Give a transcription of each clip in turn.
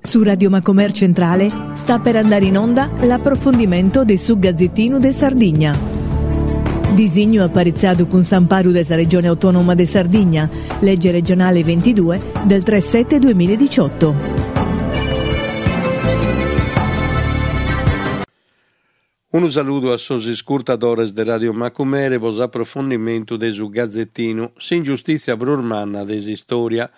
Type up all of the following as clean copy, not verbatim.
Su Radio Macomer Centrale sta per andare in onda l'approfondimento de su Gazzettinu de Sardigna. Disignu aparitzadu cun s'amparu de sa Regione Autonoma de Sardigna, legge regionale 22 del 3 7 2018. Unu saludu a sos iscurtadores de Radio Macumere pro s'aprofondimentu de su Gazetinu, s'ingiustìtzia prus manna de s'istòria.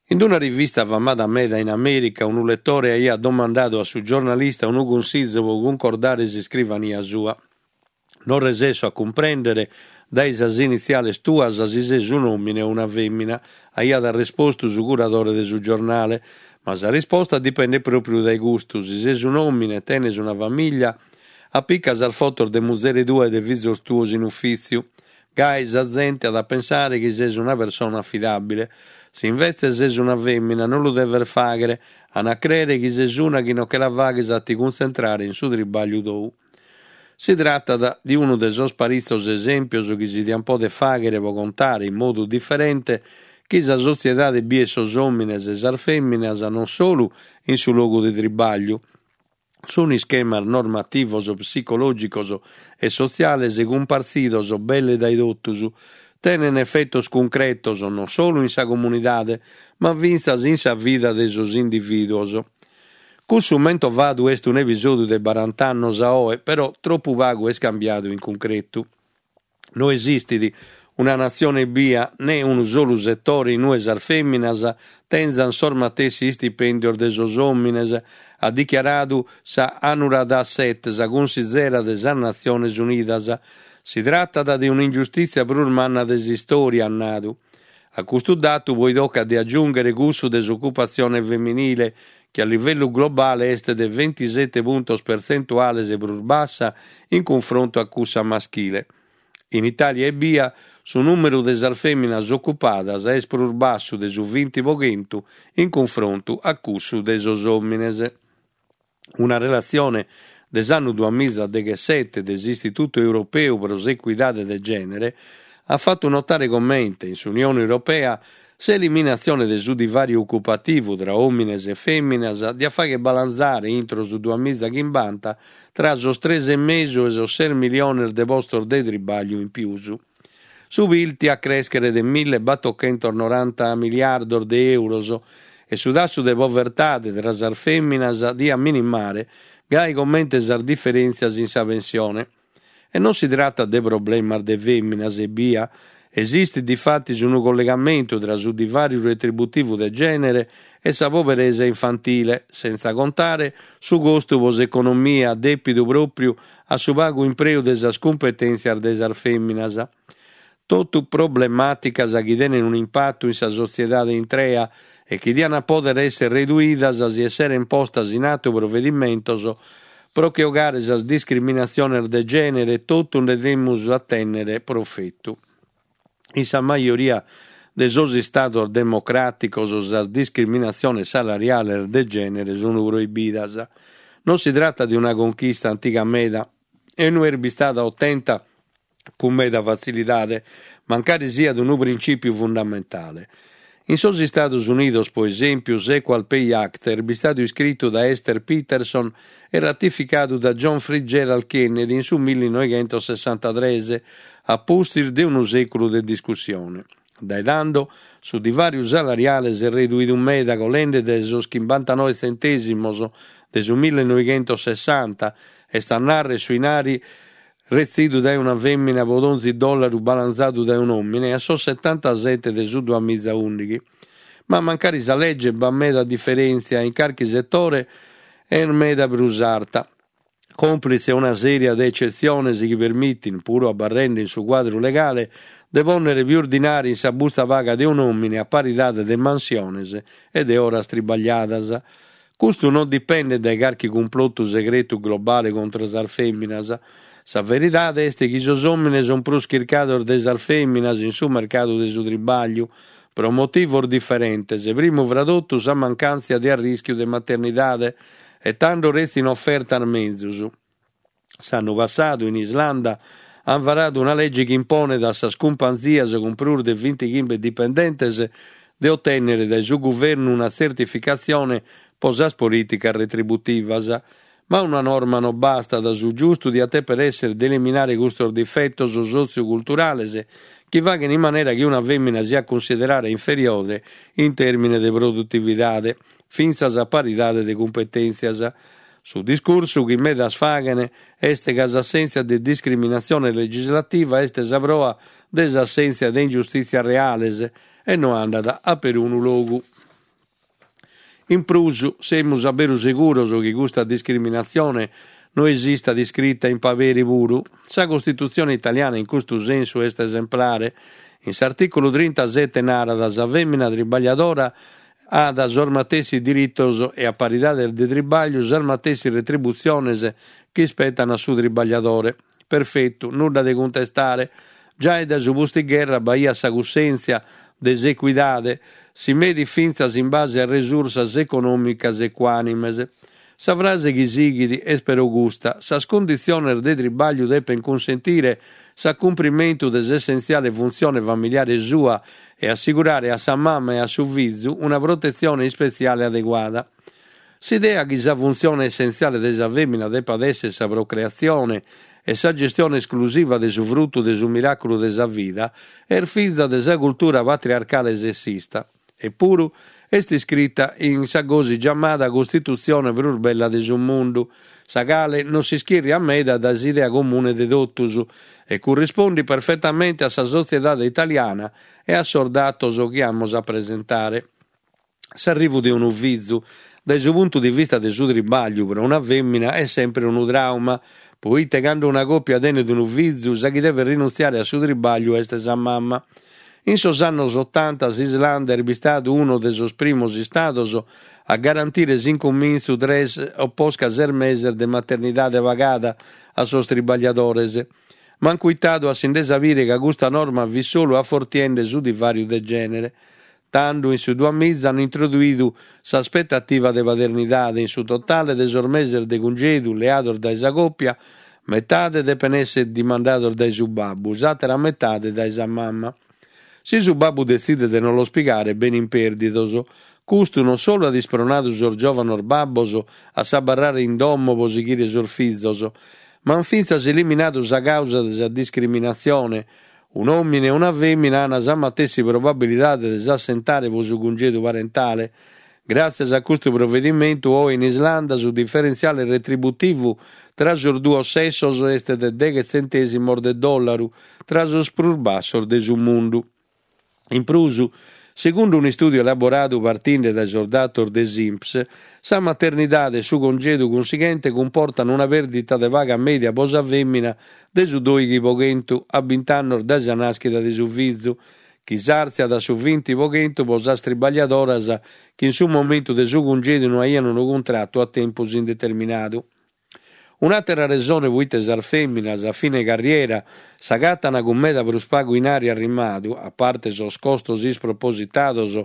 In una rivista famada meda in Amèrica unu letore aiat domandadu a su giornalista unu cunsizu pro cuncordare s'iscrivania sua. Non resesso a cumprèndere dae sas initziales tuas si ses un'òmine o una fèmina, aiat arrespostu su curadore de su giornale. Ma sa risposta dipendet pròpriu dae custu, si ses un'òmine e tenes una famìllia, apica sas fotos de muzere tua e de fizos tuos in ufìtziu. Gai sa zente at a pensare chi ses una persona afidàbile. Si invetze ses una fèmina non lu deves fàghere, an a crèere chi ses una chi non che la faghes a ti cuntzentrare in su tribàgliu tou. Si tratat de unu de sos paritzos esèmpios chi si diant pòdere fàghere pro contare in modu diferente chi sa sotziedade biet sos òmines e sas fèminas non solu in su logu de tribàgliu. Sunt ischemas normativos, psicològicos e sotziales cumpartzidos belle dae totus, tenent efetos cuncretos non solu in sa comunidade ma fintzas in sa vida de sos indivìduos. Cussu mentovadu est un'episòdiu de barant'annos a oe, però tropu pagu est cambiadu in cuncretu. No esistit una natzione bia, ne unu solu setore in ue sas fèminas tenzant sos matessi istipèndios de sos òmines, at dichiaradu sa Anuradha Seth, sa cunsizera de sas Natziones Unidas. Si tratat de un'ingiustìtzia prus manna de s'istòria, at nadu. A custu datu poi tocat de agiùnghere cussu de s'ocupatzione feminile, chi a livellu globale est de ventisete puntos pertzentuales prus bassa in cunfrontu a cussa maschile. In Itàlia ebbia, su nùmeru de sas fèminas ocupadas est prus bassu de su vinti pro chentu in cunfrontu a cussu de sos òmines. Una relatzione de s'annu duamiza deghessete de s'Istitutu Europeu pro s'Ecuidade de Gènere at fatu notare comente, in s'Unione Europea, s'eliminatzione de su divàriu ocupativu tra òmines e fèminas diat fàghere balanzare intro su duamiza chimbanta tra sos tres e mesu e sos ses miliones de postos de tribàgliu in pius. Su Pil tiat crèschere de millebatochentos-noranta miliardos de èuros e su tassu de povertade tra sas fèminas diat minimare, gai comente sas diferèntzias in sa pensione. E non si tratat de problemas de fèminas ebbia, esistit difatis unu collegamentu tra su divàriu retributivu de gènere e sa poberesa infantile, sentza contare su costu pro s'economia dèpidu pròpriu a su pagu impreu de sas cumpetèntzias de sas fèminas. Totu problemàticas chi tenen un'impatu in sa sotziedade intrea e chi diant pòdere èssere reduidas si esseren postas in atu provedimentos pro che 'ogare sas discriminatziones de gènere totu nde demus a tènnere profetu. In sa majoria de sos istados democràticos sas discriminatziones salariales de gènere sunt proibidas. Non si tratat de una conchista antiga meda e no est bistada otenta cun meda fatzilidade, mancari siat unu printzìpiu fundamentale. In sos Istados Unidos, pro esèmpiu, s'Equal Pay Act est bistadu iscritu dae Esther Peterson e ratificadu da John Fitzgerald Kennedy in su millinoighentosessantatres, a pustis de unu sèculu de discussione. Dae tando, su divàriu salariale s'est reduidu meda, colende dae sos chimbantanoe tzentèsimos de su millinoighentosessanta, est a nàrrere su 'inari retzidu dae una fèmina pro donzi dòllaru balanzadu dae un'òmine, a sos setantasete de su duamiza ùndighi. Ma mancari sa lege b'at meda diferèntzia e in carchi setore est meda prus arta. Còmplitze una sèria de ecetziones chi permitint, puru abarrende in su cuadru legale, de pònnere pius dinari in sa busta paga de un'òmine a paridade de mansiones e de oras tribagliadas. Custu non dipendet dae carchi cumplotu segretu globale contra sas fèminas. Sa veridade est chi sos òmines sunt prus chircados de sas fèminas in su mercadu de su tribàgliu, pro motivos diferentes, primu fra totu sa mancàntzia de arrischiu de maternidade, e tando retzin ofertas menzus. S'annu passadu, in Islanda, ant varadu una lege chi imponet a sas cumpanzias cun prus de bintichimbe dipendentes. de otènnere dae su guvernu una tzertificatzione pro sas polìticas retributivas. Ma una norma no bastat, su giustu diat dèpere èssere de eliminare custos difetos sotziu-culturales chi faghen in manera chi una fèmina siat cunsiderada inferiore in tèrmine de produtividade, fintzas a paridade de cumpetèntzias. Su discursu chi medas faghen est ca s'assèntzia de discriminatzione legislativa est sa proa de s'assèntzia de ingiustìtzias reales e no andat a perunu logu. In prus, semus a beru seguros chi custa discriminatzione no esistat iscrita in paberi puru? Sa Costitutzione italiana in custu sensu est esemplare. In s'artìculu trintasete narat sa fèmina tribagliadora at sos matessi diritos e a paridade de tribagliu sas matessi retributziones chi ispetan a su tribagliadore. Perfetu, nudda de cuntestare. Giai dae su pustigherra b'aiat sa cussèntzia de s'ecuidade, si medit fintzas in base a resursas econòmicas ecuànimes. Sa frase chi sighit est però custa, sas cunditziones de tribagliu depent cunsentire s'acumprimentu de s'essentziale funtzione familiare sua e assigurare a sa mama e a su fizu una protetzione ispetziale adeguada. S'idea chi sa funtzione essentziale de sa fèmina depat èssere sa procreatzione e sa gestione esclusiva de su frutu de su miràculu de sa vida est fiza de sa cultura patriarcale sessista. Epuru est iscrita in sa gosi giamada Costitutzione prus bella de su mundu, sa cale non s'ischìrriat meda dae s'idea comune de totus e currispondit perfetamente a sa sotziedade italiana e a sos datos chi amus a presentare. S'arrivu de unu fizu, dae su puntu de vista de su tribagliu, pro una fèmina est semper unu tràuma, proite cando una còpia tenet unu fizu sa chi devet rinuntziare a su tribagliu est sa mama. In sos annos otanta s'Islanda est bistadu unu de sos primos istados a garantire s'incumintzu tres o posca ses meses de maternidade pagada a sos tribagliadores. Ma an cuitadu a si nde sapire ca custa norma fit solu afortiende su divàriu de gènere. Tando, in su duamiza, an introduidu s'aspetativa de paternidade, in su totale de sos meses de cungedu leados dae sa còpia, metade depen èssere dimandados dae su babbu, s'àtera metade dae sa mama. Si su babbu detzidet de non los pigare, benin pèrdidos. Custu non solu at ispronadu sos giòvanos babbos a s'abarrare in domo pro sighire sos fizos, ma an fintzas eliminadu sa càusa de sa discriminatzione, Un'òmine e una fèmina an sa matessi probabilidade de s'assentare pro su cungedu parentale. Gràtzias a custu provedimentu, oe in Islanda su diferentziale retributivu tra sos duos sessos est de deghe tzentèsimos de dòllaru, tra sos prus bassos de su mundu. In prus, Segundu un'istùdiu elaboradu partinde dae sos datos de s'Inps, sa maternidade e su congedu cunsighente cumportan una pèrdita de paga mèdia pro sa fèmina de su dòighi pro chentu a bint'annos dae sa nàschida de su fizu, chi s'àrtziat a su vinti pro chentu pro sas tribagliadoras chi in su momentu de su cungedu no aian unu cuntratu a tempus indeterminadu. Un'àtera resone proite sas fèminas a fine carriera s'agatan cun meda prus pagu inari arrimadu, a parte sos costos ispropositados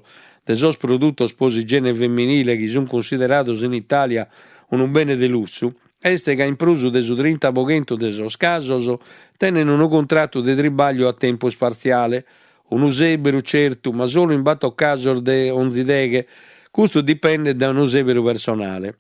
de sos produtos pro s'igiene feminile chi sunt cunsiderados in Itàlia unu bene de lussu, est ca in prus de su trinta pro chentu de sos casos tenen unu cuntratu de tribagliu a tempus partziale, unu sèberu certu, ma solu in bator casos de onzi deghe, custu dipendet dae unu sèberu personale.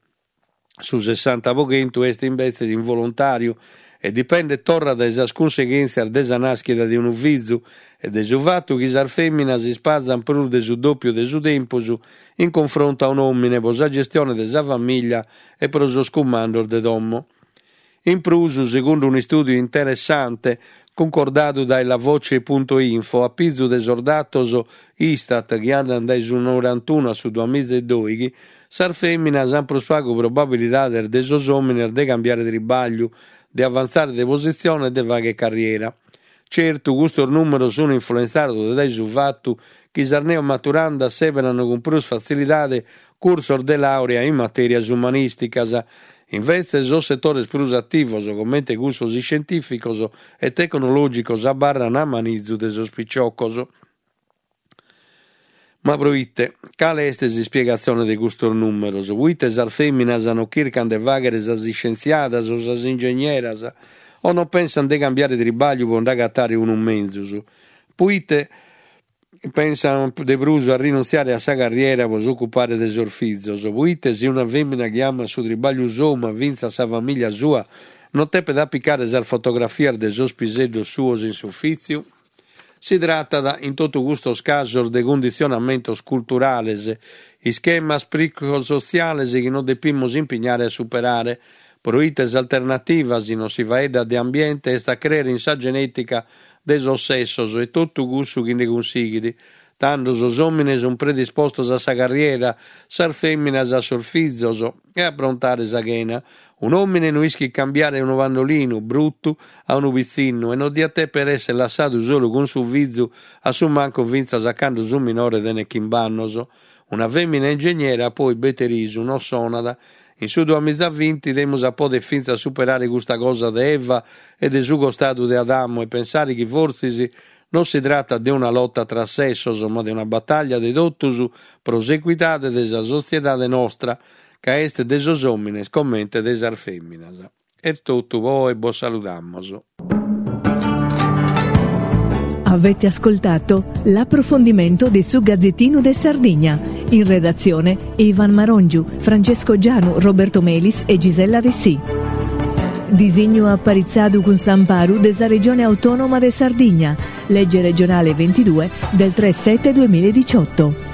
Su sessanta pro chentu est imbetzes involontàriu e dipendet torra dae sas cunseghèntzias de sa nàschida de unu fizu e de su fatu chi sas fèminas ispazant prus de su dòpiu de su tempus in cunfrontu a un'òmine pro sa gestione de sa famìllia e pro sos cumandos de domo. In prus, segundu un'istùdiu interessante cuncordadu dae La Voce punto info a pizu de sos datos Istat chi andant dae su norantunu a su duamiza e dòighi, sas fèminas ant prus pagu probabilidades de sos òmines de cambiare tribagliu, de avantzare de positzione e de fàghere carriera. Certu, custos nùmeros sunt influentzados dae su fatu chi sas neomaturandas sèberan cun prus fatzilidade cursos de làurea in matèrias umanìsticas. Invetze, sos setores prus ativos, comente cussos iscientìficos e tecnològicos abarran a manizu de sos piciocos. Ma proite? Cale est s'ispiegatzione de custos nùmeros? Proite sas fèminas non chircan de fàghere sas iscientziadas o sas ingegneras o non pensant de cambiare tribagliu pro nd'agatare unu menzus? Proite? Pensan de prus a rinuntziare a sa carriera pro s'ocupare de sos fizos, proite si una femina chi amat su tribagliu sou ma fintzas sa familia sua non depet apicare sas fotografias de sos piseddos suos in s'ufìtziu? Si tratat in totu custos casos de cunditzionamentos culturales, ischemas psicosotziales chi nos depimus impignare a superare, proite s'alternativa, si non si faeddat de ambiente, est a crèere in sa genètica de sos sessos e totu cussu chi nde cunsighit. Tando sos òmines sunt predispostos a sa carriera, sas fèminas a sos fizos e a aprontare sa chena. Un'òmine no ischit cambiare unu pannolinu brutu a unu pitzinnu e non diat dèpere èssere lassadu solu cun su fizu a su mancu fintzas a cando su minore tenet chimb'annos. Una fèmina ingegnera poi bete risu non sonat. In su duamizavinti demus a poder fintzas superare custa cosa de Eva e de su costadu de Adamu e pensare chi fortzis non si tratat de una lota tra sessos ma de una bataglia de totus pro s'ecuidade de sa sotziedade nostra ca est de sos òmines comente de sas fèminas. Est totu po oe bos saludamos. Avete ascoltato l'approfondimento de su Gazzettino de Sardigna. In redazione Ivan Marongiu, Francesco Gianu, Roberto Melis e Gisella Dessì. Disignu aparitzadu cun s'amparu de sa Regione Autonoma de Sardigna, legge regionale 22 del 3 7 2018.